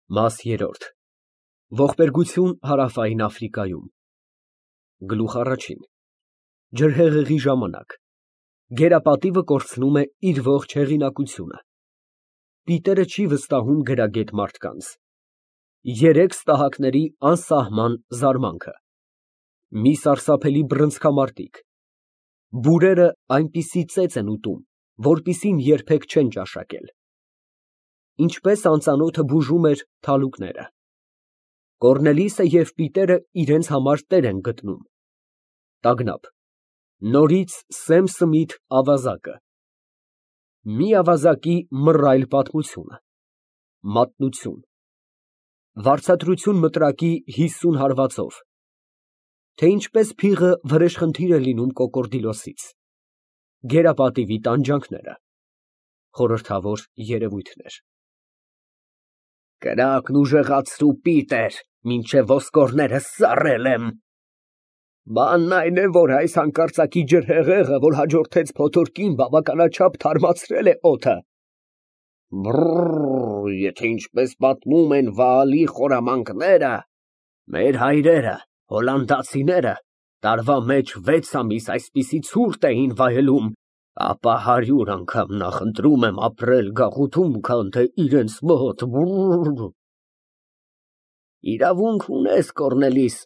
Մաս երրորդ Ողբերգություն Հարավային Աֆրիկայում Գլուխ առաջին Ջրհեղեղի ժամանակ Գերապատիվը կորցնում է իր ողջ հեղինակությունը Պիտերը չի վստահում գրագետ մարդկանց Երեք ստահակների անսահման զարմանքը Մի սարսափելի բռնցքամարտիկ Բուրերը այնպիսի ծեծ են ուտում, որպիսին երբեք չեն ճաշակել Ինչպես անծանոթը բուժում էր թալուկները Կոռնելիսը և Պիտերը իրենց համար տեր են գտնում Տագնապ Նորից սեմ֊սմիթ ավազակը Մի ավազակի մռայլ պատմությունը Մատնություն Վարձատրություն մտրակի 50 հարվածով Թե ինչպես փիղը վրեժխնդիր է լինում կոկորդիլոսից Գերապատիվի տանջանքները Խորհրդավոր երևույթներ Կրակն ուժեղացրու, Պիտեր, մինչև ոսկորներս սառել եմ։ Բանն այն է, որ այս հանկարծակի ջրհեղեղը, որ հաջորդեց փոթորկին, բավականաչափ թարմացրել է օդը։ Բրրր, եթե ինչպես պատմում են Վաալի խորամանկները, մեր հայրերը, հոլանդացիները, տարվա մեջ 6 ամիս այսպիսի ցուրտ էին վայելում, ապա 100 անգամ նախընտրում եմ ապրել գաղութում, քան թե իրենց մոտ։ Իրավունք ունես, Կոռնելիս,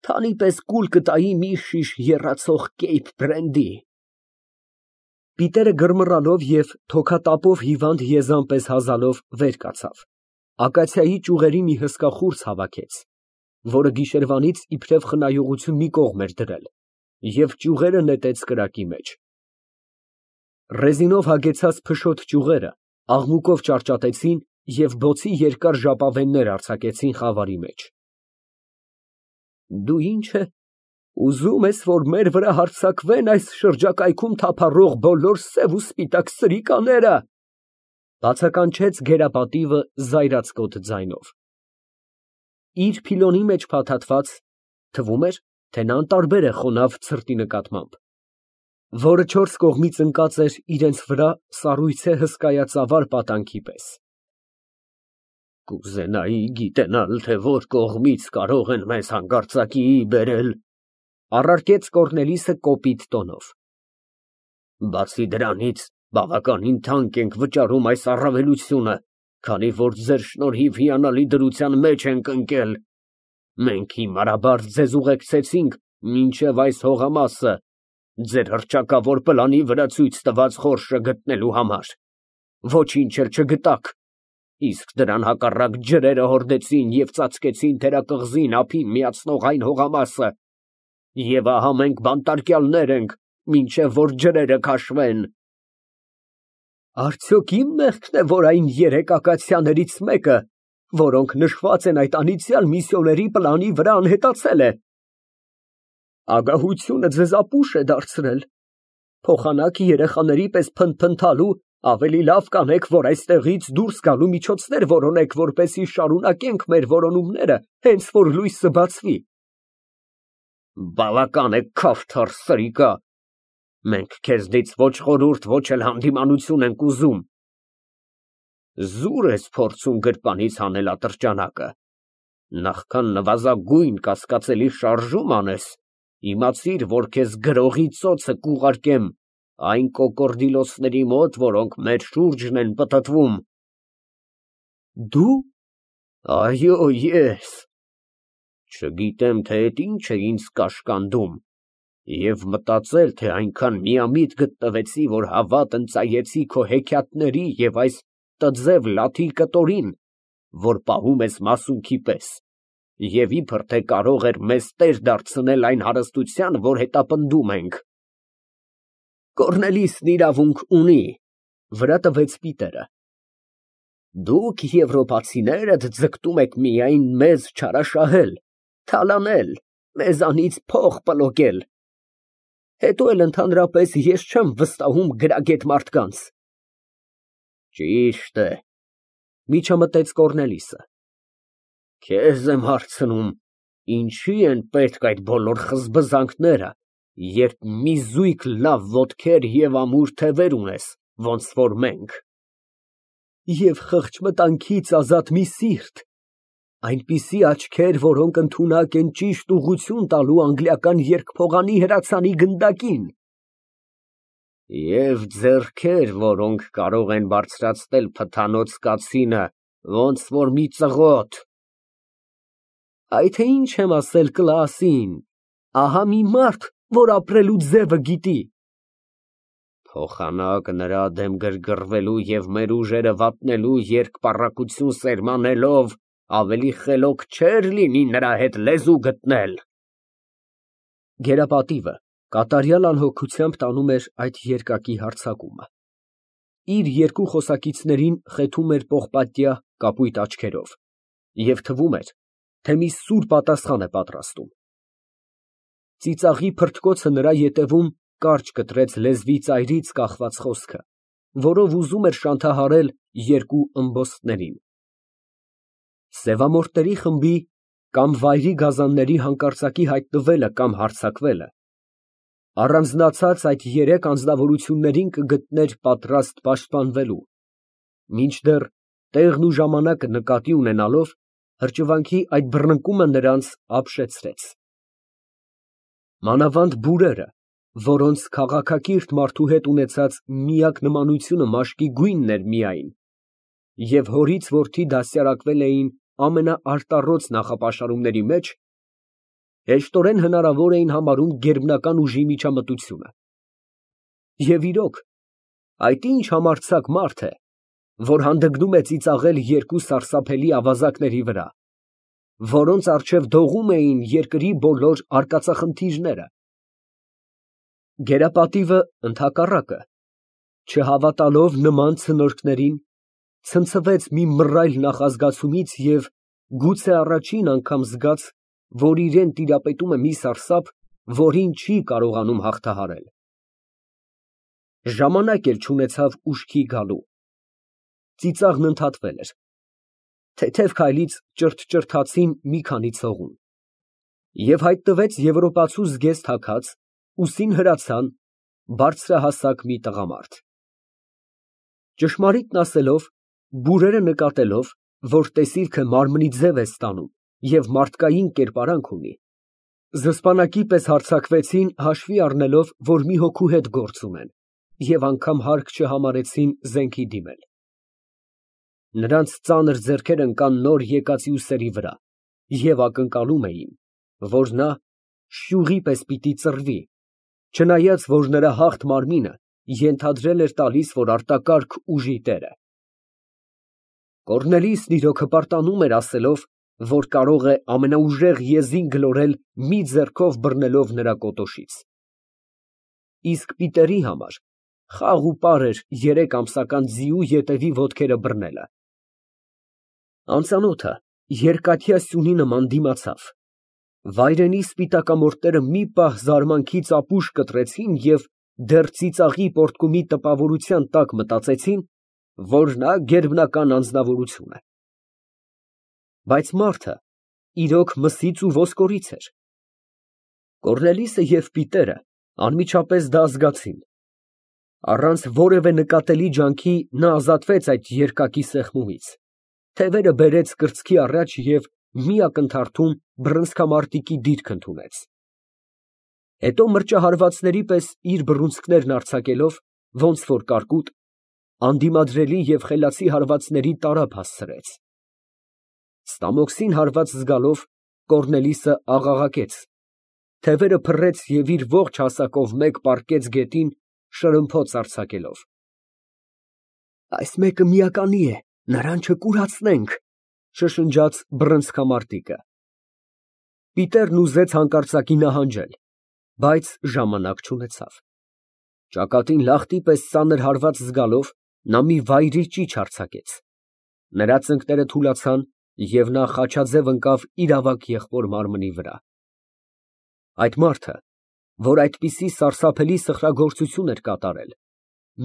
քանի պես կուլ կտայի մի շիշ եռացող Կեյփ բրենդի։ Պիտերը գրմռալով և թոքատապով հիվանդ եզան պես հազալով վեր կացավ, ակացիայի ճյուղերի մի հսկա խուրձ հավաքեց, որը գիշերվանից իբրև խնայողություն մի կողմ էր դրել, և ճյուղերը նետեց կրակի մեջ։ Ռեզինով հագեցած փշոտ ճյուղերը աղմուկով ճարճատեցին և բոցի երկար ժապավեններ արձակեցին խավարի մեջ։ Դու ինչ է, ուզում ես, որ մեր վրա հարձակվեն այս շրջակայքում թափառող բոլոր սև ու սպիտակ սրիկաները, բացականչեց գերապատիվը զայրացկոտ ձայնով։ Իր փիլոնի մեջ փաթաթված, թվում էր, թե նա անտարբեր է խոնավ ցրտի նկատմամբ, որը 4 կողմից ընկած էր իրենց վրա սառույցե հսկայածավալ պատանքի պես։ Կուզենայի գիտենալ, թե որ կողմից կարող են մեզ հանկարծակիի բերել, առարկեց Կոռնելիսը կոպիտ տոնով։ Բացի դրանից, բավականին թանկ ենք վճարում այս առավելությունը, քանի որ ձեր շնորհիվ հիանալի դրության մեջ ենք ընկել։ Մենք հիմարաբար ձեզ ուղեկցեցինք մինչև այս հողամասը, ձեր հռչակավոր պլանի վրա ցույց տված խորշը գտնելու համար։ Ոչինչ էլ չգտաք, իսկ դրան հակառակ ջրերը հորդեցին և ծածկեցին թերակղզին ափին միացնող այն հողամասը, և ահա մենք բանտարկյալներ ենք, մինչև որ ջրերը քաշվեն։ Արդյոք իմ մեղքն է, որ այն 3 ակացիաներից մեկը, որոնք նշված են այդ անիծյալ միսիոների պլանի վրա, անհետացել է։ Ագահությունը ձեզ ապուշ է դարձրել, փոխանակ երեխաների պես փնթփնթալու, ավելի լավ կանեք, որ այստեղից դուրս գալու միջոցներ որոնեք, որպեսզի շարունակենք մեր որոնումները, հենց որ լույսը բացվի։ Բավական է, քավթար սրիկա, մենք քեզնից ոչ խորհուրդ, ոչ էլ հանդիմանություն ենք ուզում։ Զուր ես փորձում գրպանից հանել ատրճանակը, նախքան նվազագույն կասկածելի շարժում անես, իմացիր, որ քեզ գրողի ծոցը կուղարկեմ այն կոկորդիլոսների մոտ, որոնք մեր շուրջն են պտտվում։ Դու։ Այո, ես։ Չգիտեմ, թե էդ ինչ է ինձ կաշկանդում, և մտածել, թե այնքան միամիտ գտնվեցի, որ հավատ ընծայեցի քո հեքիաթների և այս տձև լաթի կտորին, որ պահում ես մասունքի պես, և իբր թե կարող էր մեզ տեր դարձնել այն հարստության, որ հետապնդում ենք։ Կոռնելիսն իրավունք ունի, վրա տվեց Պիտերը։ Դուք եվրոպացիներդ ձգտում եք միայն մեզ չարաշահել, թալանել, մեզանից փող պլոկել։ Հետո էլ ընդհանրապես ես չեմ վստահում գրագետ մարդկանց։ Ճիշտ է, միջամտեց Կոռնելիսը։ Քեզ եմ հարցնում, ինչի են պետք այդ բոլոր խզբզանքները, երբ մի զույգ լավ ոտքեր և ամուր թևեր ունես, ոնց որ մենք։ և խղճ մտանքից ազատ մի սիրտ, այնպիսի աչքեր, որոնք ընդունակ են ճիշտ ուղղություն տալու անգլիական երկփողանի հրացանի գնդակին։ Եվ ձեռքեր, որոնք կարող են բարձրացնել փթանոց կացինը, ոնց որ մի ծղոտ։ Այ թե ինչ եմ ասել Կլասին, ահա մի մարդ, որ ապրելու ձևը գիտի։ Փոխանակ նրա դեմ գրգռվելու և մեր ուժերը վատնելու երկպառակություն սերմանելով, ավելի խելոք չէր լինի նրա հետ լեզու գտնել։ Գերապատիվը կատարյալ անհոգությամբ տանում էր այդ երկակի հարձակումը։ Իր երկու խոսակիցներին խեթում էր պողպատյա կապույտ աչքերով և թվում էր, թե մի սուր պատասխան է պատրաստում։ Ծիծաղի փրթկոցը նրա ետևում կարճ կտրեց լեզվի ծայրից կախված խոսքը, որով ուզում էր շանթահարել երկու ըմբոստներին։ Սևամորթների խմբի կամ վայրի գազանների հանկարծակի հայտնվելը կամ հարձակվելը առանձնացած այդ երեք անձնավորություններին կգտներ պատրաստ պաշտպանվելու, մինչդեռ տեղն ու ժամանակը նկատի ունենալով հրճվանքի այդ բռնկումը նրանց ապշեցրեց։ Մանավանդ բուրերը, որոնց քաղաքակիրթ մարդու հետ ունեցած միակ նմանությունը մաշկի գույնն էր միայն, և հորից որդի դաստիարակվել էին ամենաարտառոց նախապաշարումների մեջ, հեշտորեն հնարավոր էին համարում գերբնական ուժի միջամտությունը։ Եվ իրոք, այդ ինչ համարձակ մարդ է, որ հանդգնում է ծիծաղել երկու սարսափելի ավազակների վրա, որոնց առջև դողում էին երկրի բոլոր արկածախնդիրները։ Գերապատիվը, ընդհակառակը, չհավատալով նման ցնորքներին, ցնցվեց մի մռայլ նախազգացումից և գուցե առաջին անգամ զգաց, որ իրան տիրապետում է մի սարսափ, որին չի կարողանում հաղթահարել։ Ժամանակ էլ չունեցավ ուշքի գալու։ Ծիծաղն ընդհատվել էր։ Թեթև քայլից ճրթճրթացին մի քանի ցողուն, և հայտնվեց եվրոպացու զգեստ հագած, ուսին հրացան, բարձրահասակ մի տղամարդ։ Ճշմարիտն ասելով, բուրերը նկատելով, որ տեսիլքը մարմնի ձև է ստանում և մարդկային կերպարանք ունի, զսպանակի պես հարձակվեցին, հաշվի առնելով, որ մի հոգու հետ գործ ունեն, և անգամ հարկ չհամարեցին զենքի դիմել։ Նրանց ծանր ձեռքերը ընկան նոր եկածի ուսերի վրա և ակնկալում էին, որ նա շյուղի պես պիտի ծռվի, չնայած որ նրա հաղթ մարմինը ենթադրել էր տալիս, որ արտակարգ ուժի տեր է։ Կոռնելիուսն իրոք հպարտանում էր ասելով, որ կարող է ամենաուժեղ եզին գլորել մի ձեռքով բռնելով նրա կոտոշից։ Իսկ Պիտերի համար խաղ ու պար էր 3 ամսական ձիու ետևի ոտքերը բռնելը։ Անծանոթը երկաթյա սյունի նման դիմացավ։ Վայրենի սպիտակամորթները մի պահ զարմանքից ապուշ կտրեցին և դեռ ծիծաղի պոռթկումի տպավորության տակ մտածեցին, որ նա գերբնական անձնավորություն է։ Բայց մարդը իրոք մսից ու ոսկորից էր։ Կոռնելիուսը և Պիտերը անմիջապես դա զգացին։ Առանց որևէ նկատելի ջանքի նա ազատվեց այդ երկակի սեղմումից, թևերը բերեց կրծքի առաջ և մի ակնթարթում բռնցքամարտիկի դիրք ընդունեց։ Հետո մրջահարվածների պես իր բռունցքներն արձակելով, ոնց որ կարկուտ, անդիմադրելի և խելացի հարվածների տարափ հասցրեց։ Ստամոքսին հարված զգալով, Կոռնելիուսը աղաղակեց, թևերը փռեց և իր ողջ հասակով մեկ պառկեց գետին, շրըմփոց արձակելով։ Այս մեկը միականի է, նրան չկուրացնենք, շշնջաց բռնցքամարտիկը։ Պիտերն ուզեց հանկարծակի նահանջել, բայց ժամանակ չունեցավ։ Ճակատին լախտի պես ծանր հարված զգալով, նա մի վայրի ճիչ արձակեց։ Նրա ծնկները թուլացան, և նա խաչաձև ընկավ իր ավագ եղբոր մարմնի վրա։ Այդ մարդը, որ այդպիսի սարսափելի սխրագործություն էր կատարել,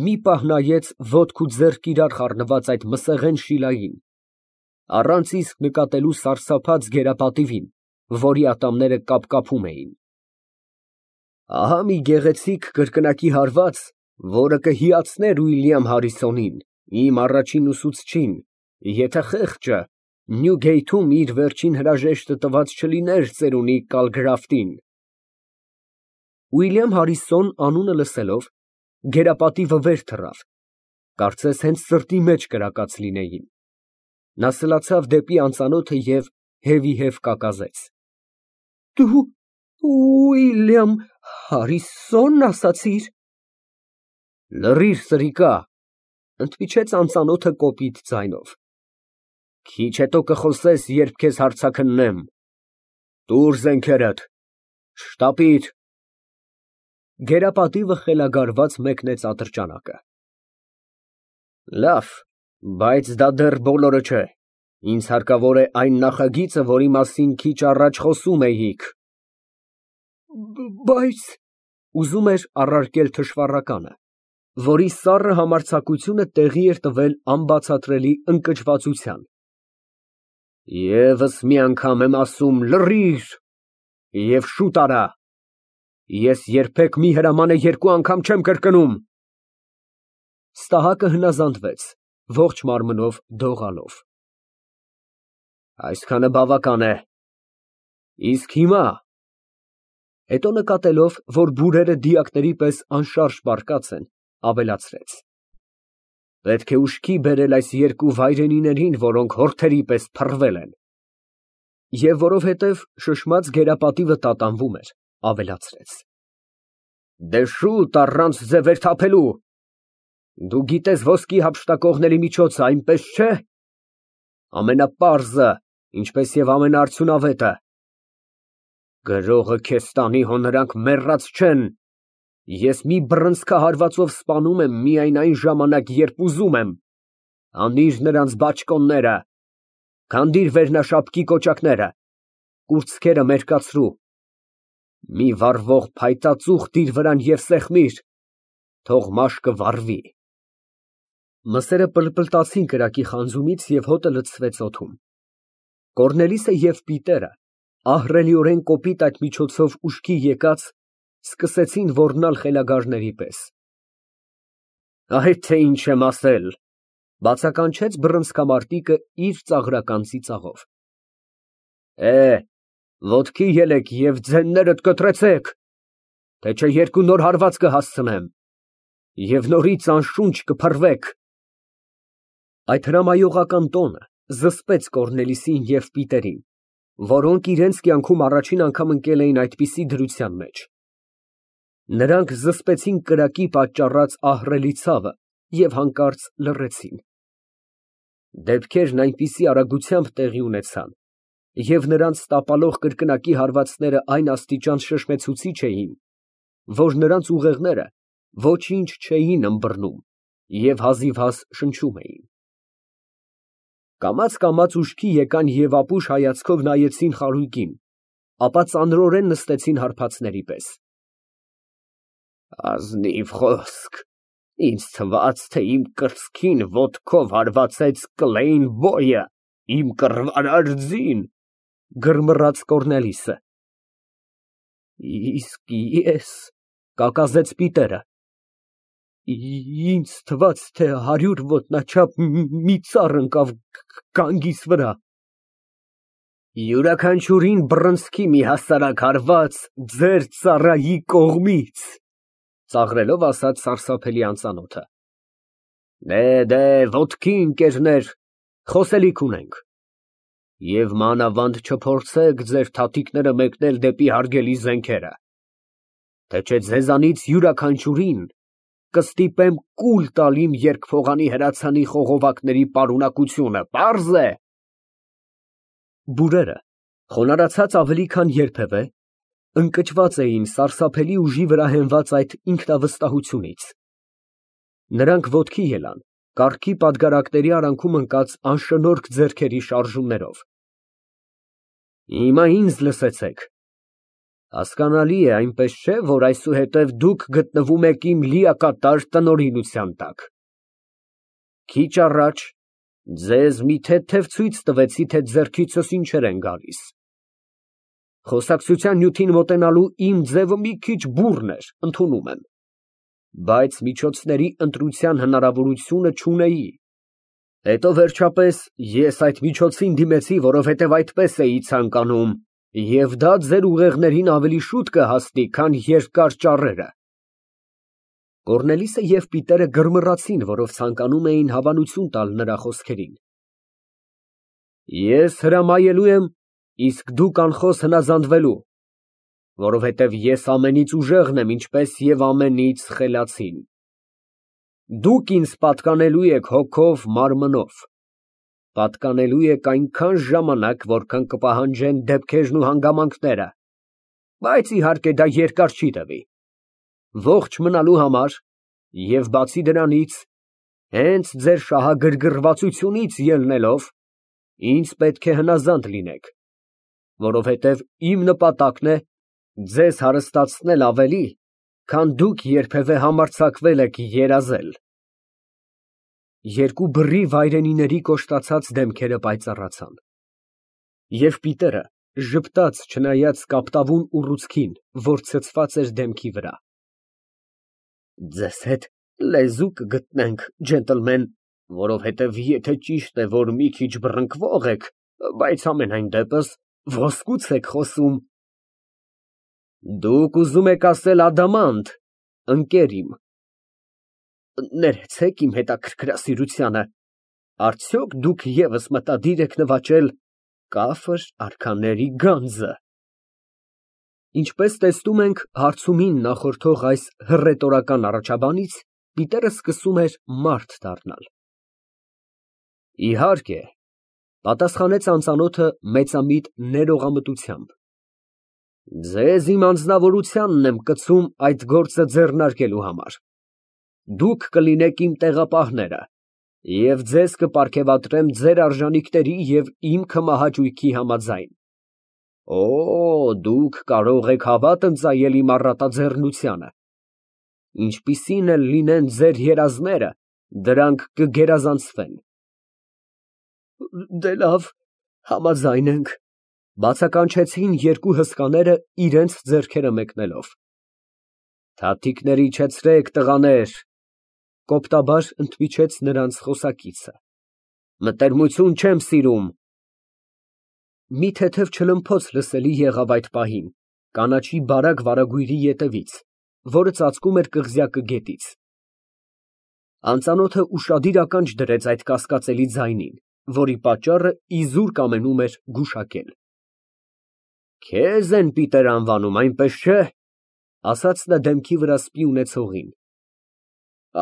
մի պահ նայեց ոտք ու ձեռք իրար խառնված այդ մսեղեն շիլային, առանց իսկ նկատելու սարսափած գերապատիվին, որի ատամները կապկապում էին։ Ահա մի գեղեցիկ կրկնակի հարված, որը կհիացներ Ուիլյամ Հարիսոնին Իմ առաջին ուսուցչին, եթե խեղճը Նյուգեյթում իր վերջին հրաժեշտը տված չլիներ ծերունի Կալգրաֆտին։ Ուիլյամ Հարիսոն անունը լսելով, գերապատիվը վեր թռավ, կարծես հենց սրտի մեջ կրակած լինեին։ Նա սլացավ դեպի անծանոթը և հևիհև կակազեց. Դու Ուիլյամ Հարիսոն ասացիր։ Լռիր, սրիկա, ընդմիջեց անծանոթը կոպիտ ձայնով։ Քիչ հետո կխոսես, երբ քեզ հարցաքննեմ։ Տուր զենքերդ, շտապիր։ Գերապատիվը խելագարված մեկնեց ատրճանակը։ Լավ, բայց դա դեռ բոլորը չէ։ Ինձ հարկավոր է այն նախագիծը, որի մասին քիչ առաջ խոսում էիք։ Բայց ուզում էր առարկել թշվառականը, որի սառը համարձակությունը տեղի էր տվել անբացատրելի ընկճվածության։ Եվս մի անգամ եմ ասում, լռիր և շուտ արա։ Ես երբեք մի հրամանը երկու անգամ չեմ կրկնում։ Ստահակը հնազանդվեց, ողջ մարմնով դողալով։ Այսքանը բավական է։ Իսկ հիմա… Հետո նկատելով, որ բուրերը դիակների պես անշարժ պառկած են, ավելացրեց. Պետք է ուշքի բերել այս երկու վայրենիներին, որոնք հորթերի պես փռվել են։ Եվ որովհետև շշմած գերապատիվը տատանվում էր, ավելացրեց. Դե շուտ, առանց ձևեր թափելու։ Դու գիտես ոսկի հափշտակողների միջոցը, այնպես չէ։ Ամենապարզը, ինչպես և ամենաարդյունավետը։ Գրողը քեզ տանի, հո նրանք մեռած չեն։ Ես մի բռնցքահարվածով սպանում եմ միայն այն ժամանակ, երբ ուզում եմ։ Անիր նրանց բաճկոնները, քանդիր վերնաշապկի կոճակները, կուրծքերը մերկացրու։ Մի վառվող փայտածուխ դիր վրան և սեղմիր, թող մաշկը վառվի։ Մսերը պլպլտացին կրակի խանձումից և հոտը լցվեց օդում։ Կոռնելիսը և Պիտերը, ահռելիորեն կոպիտ այդ միջոցով ուշքի եկած, սկսեցին ոռնալ խելագարների պես։ Այդ թե ինչ եմ ասել, բացականչեց բռնցքամարտիկը իր ծաղրական ծիծաղով։ Ոտքի ելեք և ձեններդ կտրեցեք, թե չէ երկու նոր հարված կհասցնեմ, և նորից անշունչ կփռվեք։ Այդ հրամայողական տոնը զսպեց Կոռնելիսին և Պիտերին, որոնք իրենց կյանքում առաջին անգամ ընկել էին այդպիսի դրության մեջ։ Նրանք զսպեցին կրակի պատճառած ահռելի ցավը և հանկարծ լռեցին։ Դեպքերն այնպիսի արագությամբ տեղի ունեցան, և նրանց տապալող կրկնակի հարվածները այն աստիճան շշմեցուցիչ էին, որ նրանց ուղեղները ոչինչ չէին ըմբռնում և հազիվհազ շնչում էին։ Կամաց ուշքի եկան և ապուշ հայացքով նայեցին խարույկին, ապա ծանրորեն նստեցին հարբածների պես։ Ազնիվ խոսք, ինձ թվաց, թե իմ կրծքին ոտքով հարվածեց Կլեյն Բոյը, իմ կռվարար ձին, գրմռաց Կոռնելիսը։ Իսկ ես… կակազեց Պիտերը։ Ինձ թվաց, թե 100 ոտնաչափ մի ծառ ընկավ գանգիս վրա։ Յուրաքանչյուրին բռնցքի մի հասարակ հարված ձեր ծառայի կողմից, ծաղրելով ասաց սարսափելի անծանոթը։ Դե, ոտքի, ընկերներ, խոսելիք ունենք։ Եվ մանավանդ չփորձեք ձեր թաթիկները մեկնել դեպի հարգելի զենքերը, թե չէ ձեզանից յուրաքանչյուրին կստիպեմ կուլ տալ իմ երկփողանի հրացանի խողովակների պարունակությունը, պարզ է։ Բուրերը, խոնարհացած ավելի քան երբևէ, ընկճված էին սարսափելի ուժի վրա հենված այդ ինքնավստահությունից։ Նրանք ոտքի ելան, կառքի պատգարակների արանքում ընկած անշնորհք ձեռքերի շարժումներով։ Հիմա ինձ լսեցեք։ Հասկանալի է, այնպես չէ, որ այսուհետև դուք գտնվում եք իմ լիակատար տնօրինության տակ։ Քիչ առաջ ձեզ մի թեթև ցույց տվեցի, թե ձեռքիցս ինչեր են գալիս։ Խոսակցության նյութին մոտենալու իմ ձևը մի քիչ բուռն էր, ընդունում եմ, բայց միջոցների ընտրության հնարավորությունը չունեի։ Հետո վերջապես ես այդ միջոցին դիմեցի, որովհետև այդպես էի ցանկանում, և դա ձեր ուղեղներին ավելի շուտ կհասնի, քան երկար ճառերը։ Կոռնելիսը և Պիտերը գրմռացին, որով ցանկանում էին հավանություն տալ նրա խոսքերին։ Ես հրամայելու եմ, իսկ դուք անխոս հնազանդվելու, որովհետև ես ամենից ուժեղն եմ, ինչպես և ամենից խելացին։ Դուք ինձ պատկանելու եք հոգով, մարմնով, պատկանելու եք այնքան ժամանակ, որքան կպահանջեն դեպքերն ու հանգամանքները, բայց իհարկե դա երկար չի տևի, ողջ մնալու համար և բացի դրանից, հենց ձեր շահագրգռվածությունից ելնելով, ինձ պետք է հնազանդ լինեք, որովհետև իմ նպատակն է ձեզ հարստացնել ավելի, քան դուք երբևէ համարձակվել եք երազել։ Երկու բռի վայրենիների կոշտացած դեմքերը պայծառացան, և Պիտերը ժպտաց, չնայած կապտավուն ուռուցքին, որ ցցված էր դեմքի վրա։ Ձեզ հետ լեզու կգտնենք, ջենտլմեն, որովհետև եթե ճիշտ է, որ մի քիչ բռնկվող եք, բայց համենայն դեպս ոսկուց եք խոսում։ Դուք ուզում եք ասել ադամանդ, ընկեր իմ։ Ներեցեք իմ հետաքրքրասիրությանը, արդյոք դուք ևս մտադիր եք նվաճել կաֆր արքաների գանձը։ Ինչպես տեսնում ենք, հարցումին նախորդող այս հռետորական առաջաբանից Պիտերը սկսում էր մարդ դառնալ։ Իհարկե, պատասխանեց անծանոթը մեծամիտ ներողամտությամբ։ Ձեզ իմ անձնավորությանն եմ կցում այդ գործը ձեռնարկելու համար։ Դուք կլինեք իմ տեղապահները, և ձեզ կպարգևատրեմ ձեր արժանիքների և իմ քմահաճույքի համաձայն։ Օ, դուք կարող եք հավատ ընծայել իմ առատաձեռնությանը։ Ինչպիսին էլ լինեն ձեր երազները, դրանք կգերազանցվեն։ Դե լավ, համաձայն ենք, բացականչեցին երկու հսկաները իրենց ձեռքերը մեկնելով։ Թաթիկներ իջեցրեք, տղաներ, կոպտաբար ընդմիջեց նրանց խոսակիցը։ Մտերմություն չեմ սիրում։ Մի թեթև չլմփոց լսելի եղավ այդ պահին, կանաչի բարակ վարագույրի ետևից, որը ծածկում էր կղզյակը գետից։ Անծանոթը ուշադիր ականջ դրեց այդ կասկածելի ձայնին, որի պատճառը իզուր կամենում էր գուշակել։ Քեզ են Պիտեր անվանում, այնպես չէ, ասաց նա դեմքի վրա սպի ունեցողին։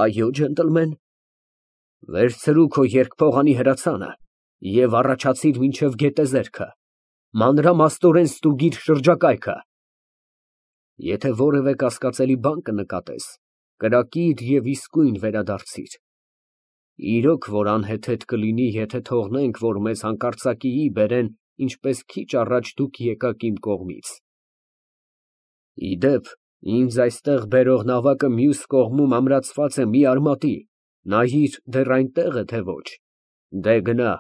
Այո, ջենտլմեն։ Վերցրու քո երկփողանի հրացանը և առաջացիր մինչև գետեզերքը, մանրամասնորեն ստուգիր շրջակայքը։ Եթե որևէ կասկածելի բան կնկատես, կրակիր և իսկույն վերադարձիր։ Իրոք, որ անհեթեթ կլինի, եթե թողնենք, որ մեզ հանկարծակիի բերեն, ինչպես քիչ առաջ դուք եկաք իմ կողմից։ Ի դեպ, ինձ այստեղ բերող նավակը մյուս կողմում ամրացված է մի արմատի, նայիր, դեռ այնտեղ է, թե ոչ։ Դե գնա։